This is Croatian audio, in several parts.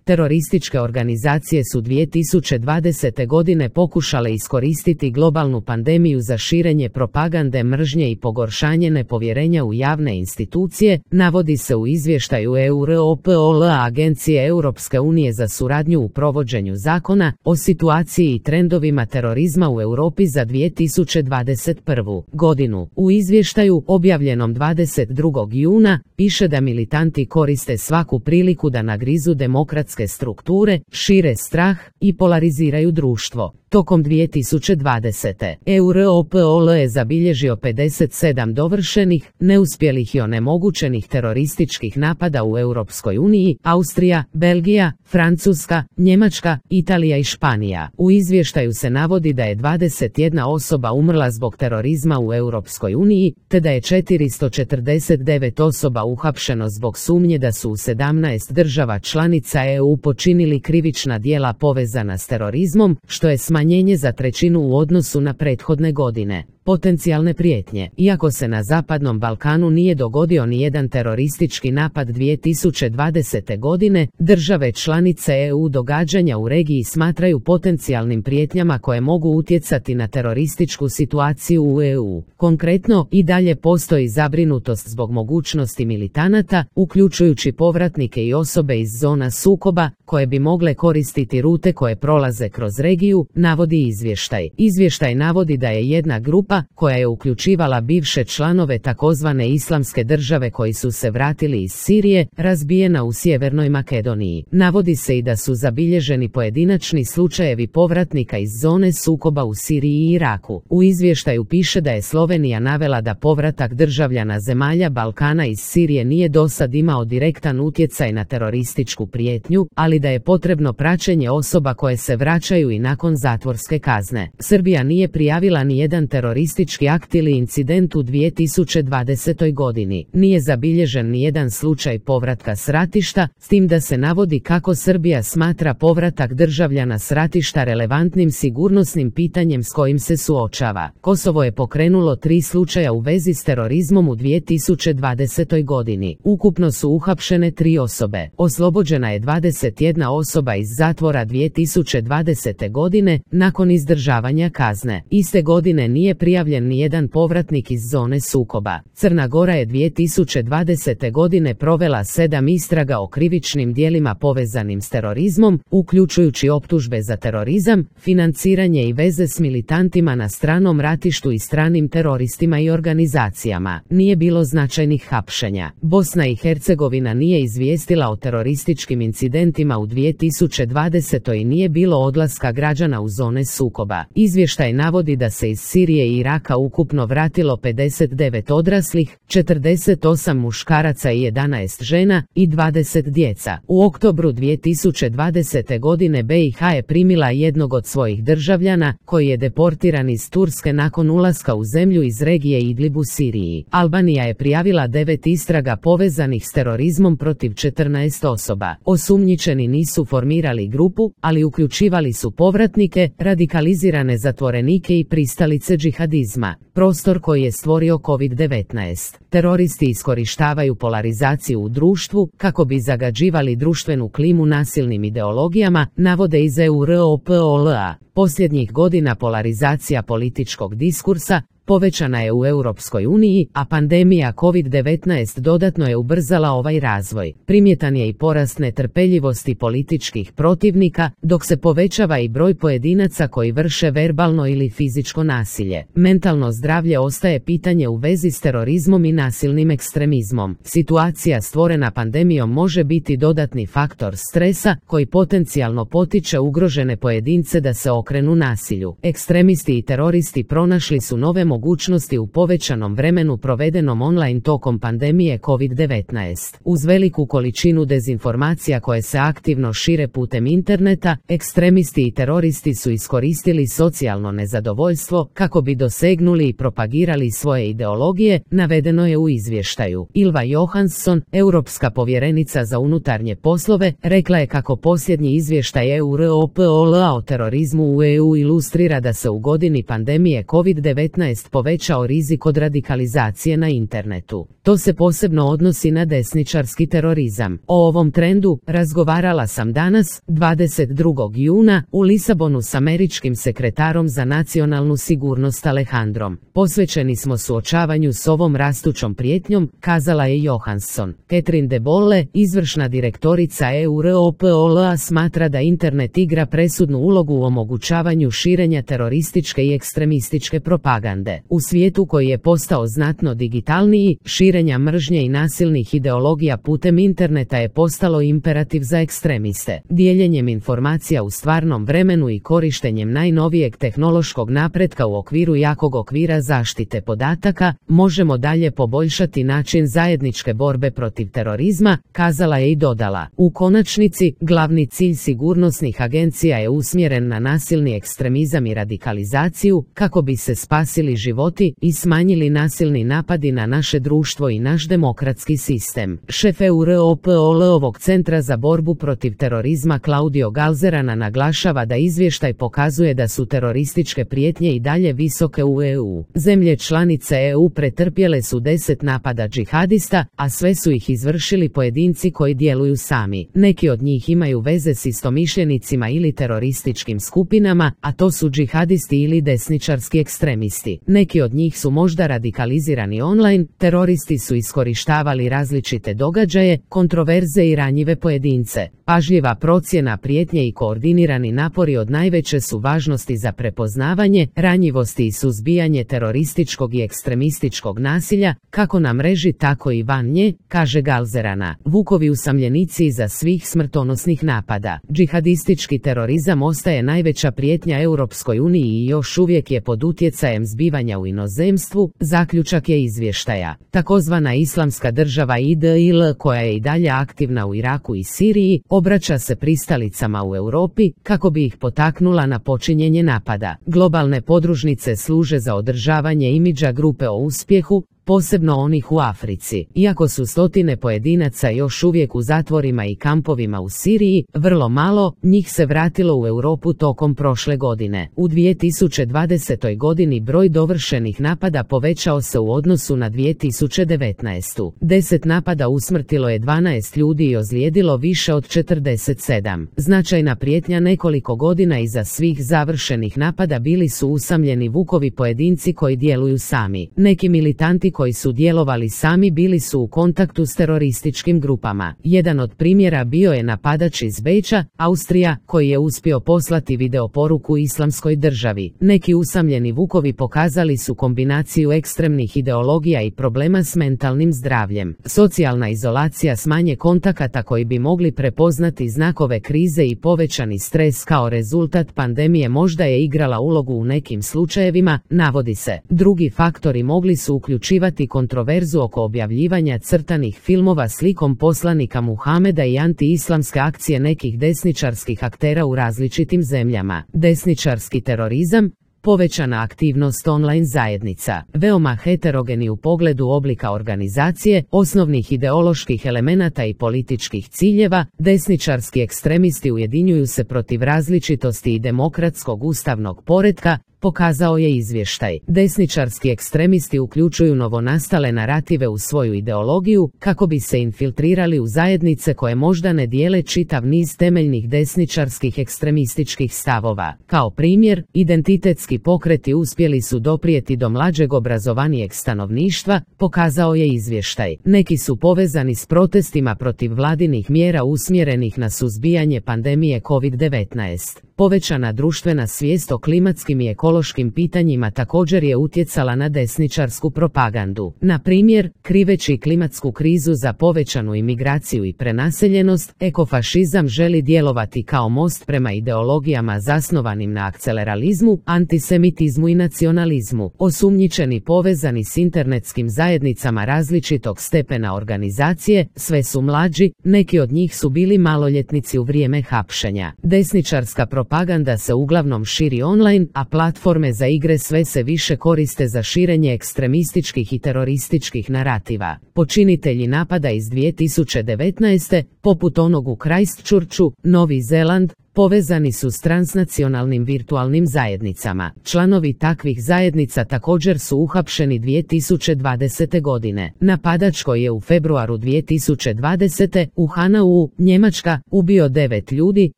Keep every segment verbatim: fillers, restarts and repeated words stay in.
Terorističke organizacije su dvije tisuće dvadesete godine pokušale iskoristiti globalnu pandemiju za širenje propagande mržnje i pogoršanje nepovjerenja u javne institucije, navodi se u izvještaju Europol Agencije Europske unije za suradnju u provođenju zakona o situaciji i trendovima terorizma u Europi za dvije tisuće dvadeset prvu. godinu. U izvještaju, objavljenom dvadeset drugog juna, piše da militanti koriste svaku priliku da nagrizu demokratske strukture, šire strah i polariziraju društvo. Tokom dvije tisuće dvadesete. Europol je zabilježio pedeset sedam dovršenih, neuspjelih i onemogućenih terorističkih napada u Europskoj uniji, Austrija, Belgija, Francuska, Njemačka, Italija i Španija. U izvještaju se navodi da je dvadeset jedna osoba umrla zbog terorizma u Europskoj uniji, te da je četiristo četrdeset devet osoba uhapšeno zbog sumnje da su u sedamnaest država članica E U počinili krivična djela povezana s terorizmom, što je smanjenje za trećinu u odnosu na prethodne godine. Potencijalne prijetnje. Iako se na Zapadnom Balkanu nije dogodio nijedan teroristički napad dvije tisuće dvadesete godine, države članice E U događanja u regiji smatraju potencijalnim prijetnjama koje mogu utjecati na terorističku situaciju u E U. Konkretno, i dalje postoji zabrinutost zbog mogućnosti militanata, uključujući povratnike i osobe iz zona sukoba, koje bi mogle koristiti rute koje prolaze kroz regiju, navodi izvještaj. Izvještaj navodi da je jedna grupa, koja je uključivala bivše članove takozvane Islamske države koji su se vratili iz Sirije, razbijena u Sjevernoj Makedoniji. Navodi se i da su zabilježeni pojedinačni slučajevi povratnika iz zone sukoba u Siriji i Iraku. U izvještaju piše da je Slovenija navela da povratak državljana zemalja Balkana iz Sirije nije dosad imao direktan utjecaj na terorističku prijetnju, ali da je potrebno praćenje osoba koje se vraćaju i nakon zatvorske kazne. Srbija nije prijavila ni jedan teroristički akt ili incident u dvije tisuće dvadesetoj godini. Nije zabilježen ni jedan slučaj povratka s ratišta, s tim da se navodi kako Srbija smatra povratak državljana s ratišta relevantnim sigurnosnim pitanjem s kojim se suočava. Kosovo je pokrenulo tri slučaja u vezi s terorizmom u dvije tisuće dvadesetoj godini. Ukupno su uhapšene tri osobe. Oslobođena je dvadeset jedna osoba iz zatvora dvije tisuće dvadesete godine nakon izdržavanja kazne. Iste godine nije prijavljen nijedan povratnik iz zone sukoba. Crna Gora je dvije tisuće dvadesete godine provela sedam istraga o krivičnim djelima povezanim s terorizmom, uključujući optužbe za terorizam, financiranje i veze s militantima na stranom ratištu i stranim teroristima i organizacijama. Nije bilo značajnih hapšenja. Bosna i Hercegovina nije izvijestila o terorističkim incidentima u dvije tisuće dvadesetoj i nije bilo odlaska građana u zone sukoba. Izvještaj navodi da se iz Sirije i Iraka ukupno vratilo pedeset devet odraslih, četrdeset osam muškaraca i jedanaest žena i dvadeset djeca. U oktobru dvije tisuće dvadesete godine B i H je primila jednog od svojih državljana, koji je deportiran iz Turske nakon ulaska u zemlju iz regije Idlib u Siriji. Albanija je prijavila devet istraga povezanih s terorizmom protiv četrnaest osoba. Osumnjičeni nisu formirali grupu, ali uključivali su povratnike, radikalizirane zatvorenike i pristalice džihadizma. Prostor koji je stvorio kovid devetnaest. Teroristi iskorištavaju polarizaciju u društvu kako bi zagađivali društvenu klimu nasilnim ideologijama, navode iz Europola. Posljednjih godina polarizacija političkog diskursa povećana je u Europskoj uniji, a pandemija kovid devetnaest dodatno je ubrzala ovaj razvoj. Primjetan je i porast netrpeljivosti političkih protivnika, dok se povećava i broj pojedinaca koji vrše verbalno ili fizičko nasilje. Mentalno zdravlje ostaje pitanje u vezi s terorizmom i nasilnim ekstremizmom. Situacija stvorena pandemijom može biti dodatni faktor stresa koji potencijalno potiče ugrožene pojedince da se okrenu nasilju. Ekstremisti i teroristi pronašli su nove mogućnosti u povećanom vremenu provedenom online tokom pandemije kovid devetnaest. Uz veliku količinu dezinformacija koje se aktivno šire putem interneta, ekstremisti i teroristi su iskoristili socijalno nezadovoljstvo kako bi dosegnuli i propagirali svoje ideologije, navedeno je u izvještaju. Ylva Johansson, europska povjerenica za unutarnje poslove, rekla je kako posljednji izvještaj Europola o terorizmu u E U ilustrira da se u godini pandemije kovid devetnaest povećao rizik od radikalizacije na internetu. To se posebno odnosi na desničarski terorizam. O ovom trendu razgovarala sam danas, dvadeset drugog juna, u Lisabonu s američkim sekretarom za nacionalnu sigurnost Alejandrom. Posvećeni smo suočavanju s ovom rastućom prijetnjom, kazala je Johansson. Catherine de Bolle, izvršna direktorica Europola, smatra da internet igra presudnu ulogu u omogućavanju širenja terorističke i ekstremističke propagande. U svijetu koji je postao znatno digitalniji, širenja mržnje i nasilnih ideologija putem interneta je postalo imperativ za ekstremiste. Dijeljenjem informacija u stvarnom vremenu i korištenjem najnovijeg tehnološkog napretka u okviru jakog okvira zaštite podataka, možemo dalje poboljšati način zajedničke borbe protiv terorizma, kazala je i dodala. U konačnici, glavni cilj sigurnosnih agencija je usmjeren na nasilni ekstremizam i radikalizaciju, kako bi se spasili životi i smanjili nasilni napadi na naše društvo i naš demokratski sistem. Šef Europolovog centra za borbu protiv terorizma Claudio Galzerana naglašava da izvještaj pokazuje da su terorističke prijetnje i dalje visoke u E U. Zemlje članice E U pretrpjele su deset napada džihadista, a sve su ih izvršili pojedinci koji djeluju sami. Neki od njih imaju veze s istomišljenicima ili terorističkim skupinama, a to su džihadisti ili desničarski ekstremisti. Neki od njih su možda radikalizirani online, teroristi su iskorištavali različite događaje, kontroverze i ranjive pojedince. Pažljiva procjena prijetnje i koordinirani napori od najveće su važnosti za prepoznavanje, ranjivosti i suzbijanje terorističkog i ekstremističkog nasilja, kako na mreži tako i van nje, kaže Galzerana. Vukovi usamljenici iza svih smrtonosnih napada. Džihadistički terorizam ostaje najveća prijetnja Europskoj uniji i još uvijek je pod utjecajem zbivanja u inozemstvu, zaključak je izvještaja. Takozvana Islamska država I D I L, koja je i dalje aktivna u Iraku i Siriji, obraća se pristalicama u Europi kako bi ih potaknula na počinjenje napada. Globalne podružnice služe za održavanje imidža grupe o uspjehu, posebno onih u Africi. Iako su stotine pojedinaca još uvijek u zatvorima i kampovima u Siriji, vrlo malo njih se vratilo u Europu tokom prošle godine. U dvije tisuće dvadesetoj godini broj dovršenih napada povećao se u odnosu na dvije tisuće devetnaestu. Deset napada usmrtilo je dvanaest ljudi i ozlijedilo više od četrdeset sedam. Značajna prijetnja nekoliko godina iza svih završenih napada bili su usamljeni vukovi pojedinci koji djeluju sami. Neki militanti koji su djelovali sami bili su u kontaktu s terorističkim grupama. Jedan od primjera bio je napadač iz Beča, Austrija, koji je uspio poslati videoporuku Islamskoj državi. Neki usamljeni vukovi pokazali su kombinaciju ekstremnih ideologija i problema s mentalnim zdravljem. Socijalna izolacija s manje kontakata koji bi mogli prepoznati znakove krize i povećani stres kao rezultat pandemije možda je igrala ulogu u nekim slučajevima, navodi se. Drugi faktori mogli su uključivati kontroverzu oko objavljivanja crtanih filmova slikom poslanika Muhameda i anti-islamske akcije nekih desničarskih aktera u različitim zemljama. Desničarski terorizam, povećana aktivnost online zajednica, veoma heterogeni u pogledu oblika organizacije, osnovnih ideoloških elemenata i političkih ciljeva, desničarski ekstremisti ujedinjuju se protiv različitosti i demokratskog ustavnog poretka, pokazao je izvještaj. Desničarski ekstremisti uključuju novonastale narative u svoju ideologiju kako bi se infiltrirali u zajednice koje možda ne dijele čitav niz temeljnih desničarskih ekstremističkih stavova. Kao primjer, identitetski pokreti uspjeli su doprijeti do mlađeg obrazovanijeg stanovništva, pokazao je izvještaj. Neki su povezani s protestima protiv vladinih mjera usmjerenih na suzbijanje pandemije kovid devetnaest. Povećana društvena svijest o klimatskim i ekološkim pitanjima također je utjecala na desničarsku propagandu. Na primjer, kriveći klimatsku krizu za povećanu imigraciju i prenaseljenost, ekofašizam želi djelovati kao most prema ideologijama zasnovanim na akceleralizmu, antisemitizmu i nacionalizmu. Osumnjičeni povezani s internetskim zajednicama različitog stepena organizacije, sve su mlađi, neki od njih su bili maloljetnici u vrijeme hapšenja. Desničarska propaganda se uglavnom širi online, a platforme za igre sve se više koriste za širenje ekstremističkih i terorističkih narativa. Počinitelji napada iz dvije tisuće devetnaeste, poput onog u Christchurchu, Novi Zeland, povezani su s transnacionalnim virtualnim zajednicama. Članovi takvih zajednica također su uhapšeni dvije tisuće dvadesete godine. Napadač koji je u februaru dvije tisuće dvadesete u Hanau, Njemačka, ubio devet ljudi,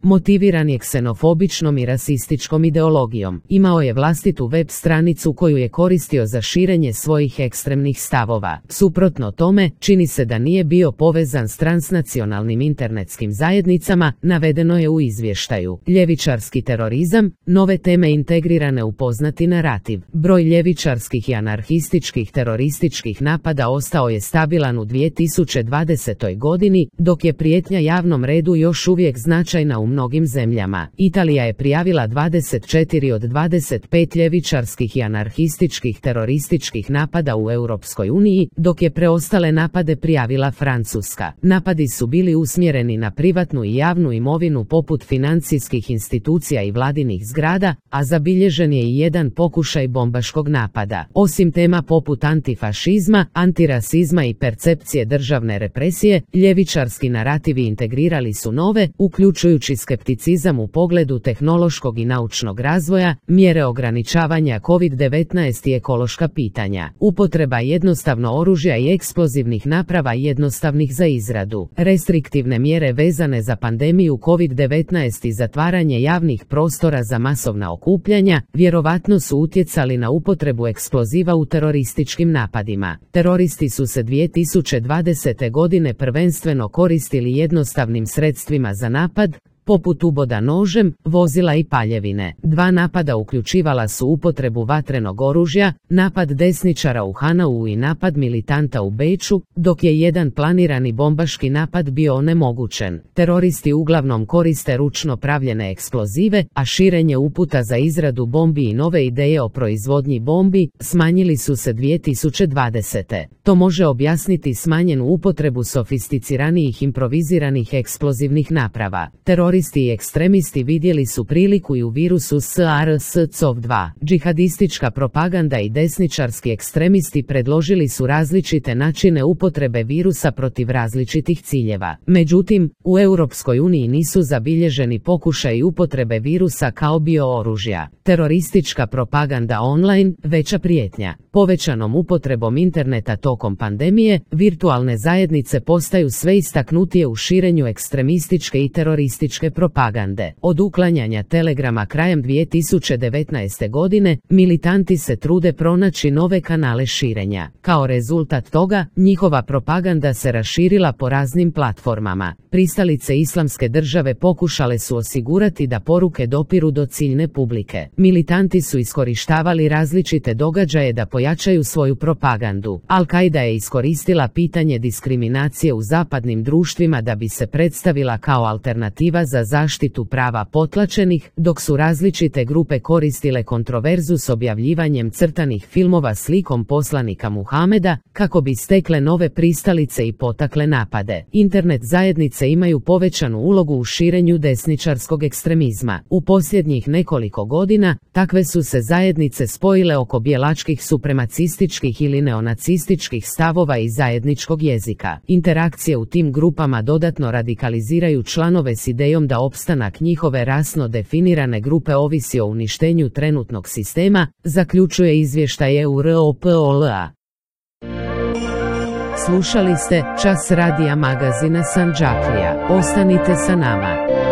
motiviran je ksenofobičnom i rasističkom ideologijom. Imao je vlastitu web stranicu koju je koristio za širenje svojih ekstremnih stavova. Suprotno tome, čini se da nije bio povezan s transnacionalnim internetskim zajednicama, navedeno je u izvještaju. Ljevičarski terorizam, nove teme integrirane u poznati narativ. Broj ljevičarskih i anarhističkih terorističkih napada ostao je stabilan u dvije tisuće dvadesetoj godini, dok je prijetnja javnom redu još uvijek značajna u mnogim zemljama. Italija je prijavila dvadeset četiri od dvadeset pet ljevičarskih i anarhističkih terorističkih napada u Europskoj uniji, dok je preostale napade prijavila Francuska. Napadi su bili usmjereni na privatnu i javnu imovinu poput financijskih institucija i vladinih zgrada, a zabilježen je i jedan pokušaj bombaškog napada. Osim tema poput antifašizma, antirasizma i percepcije državne represije, ljevičarski narativi integrirali su nove, uključujući skepticizam u pogledu tehnološkog i naučnog razvoja, mjere ograničavanja kovid devetnaest i ekološka pitanja. Upotreba jednostavno oružja i eksplozivnih naprava jednostavnih za izradu. Restriktivne mjere vezane za pandemiju kovid devetnaest i zatvaranje javnih prostora za masovna okupljanja vjerovatno su utjecali na upotrebu eksploziva u terorističkim napadima. Teroristi su se dvije tisuće dvadesete godine prvenstveno koristili jednostavnim sredstvima za napad, poput uboda nožem, vozila i paljevine. Dva napada uključivala su upotrebu vatrenog oružja, napad desničara u Hanau i napad militanta u Beču, dok je jedan planirani bombaški napad bio onemogućen. Teroristi uglavnom koriste ručno pravljene eksplozive, a širenje uputa za izradu bombi i nove ideje o proizvodnji bombi smanjili su se dvije tisuće dvadesete. To može objasniti smanjenu upotrebu sofisticiranijih improviziranih eksplozivnih naprava. Teroristi i ekstremisti vidjeli su priliku i u virusu SARS-CoV dva. Džihadistička propaganda i desničarski ekstremisti predložili su različite načine upotrebe virusa protiv različitih ciljeva. Međutim, u Europskoj uniji nisu zabilježeni pokušaji upotrebe virusa kao biooružja. Teroristička propaganda online, veća prijetnja. Povećanom upotrebom interneta tokom pandemije, virtualne zajednice postaju sve istaknutije u širenju ekstremističke i terorističke propagande. Od uklanjanja Telegrama krajem dvije tisuće devetnaeste godine, militanti se trude pronaći nove kanale širenja. Kao rezultat toga, njihova propaganda se raširila po raznim platformama. Pristalice Islamske države pokušale su osigurati da poruke dopiru do ciljne publike. Militanti su iskorištavali različite događaje da pojačaju svoju propagandu. Al-Qaida je iskoristila pitanje diskriminacije u zapadnim društvima da bi se predstavila kao alternativa za zaštitu prava potlačenih, dok su različite grupe koristile kontroverzu s objavljivanjem crtanih filmova slikom poslanika Muhameda, kako bi stekle nove pristalice i potakle napade. Internet zajednice imaju povećanu ulogu u širenju desničarskog ekstremizma. U posljednjih nekoliko godina, takve su se zajednice spojile oko bijelačkih supremacističkih ili neonacističkih stavova i zajedničkog jezika. Interakcije u tim grupama dodatno radikaliziraju članove s idejom da opstanak njihove rasno definirane grupe ovisi o uništenju trenutnog sistema, zaključuje izvještaj Europola. Slušali ste Čas radija magazina Sandžaklija. Ostanite sa nama.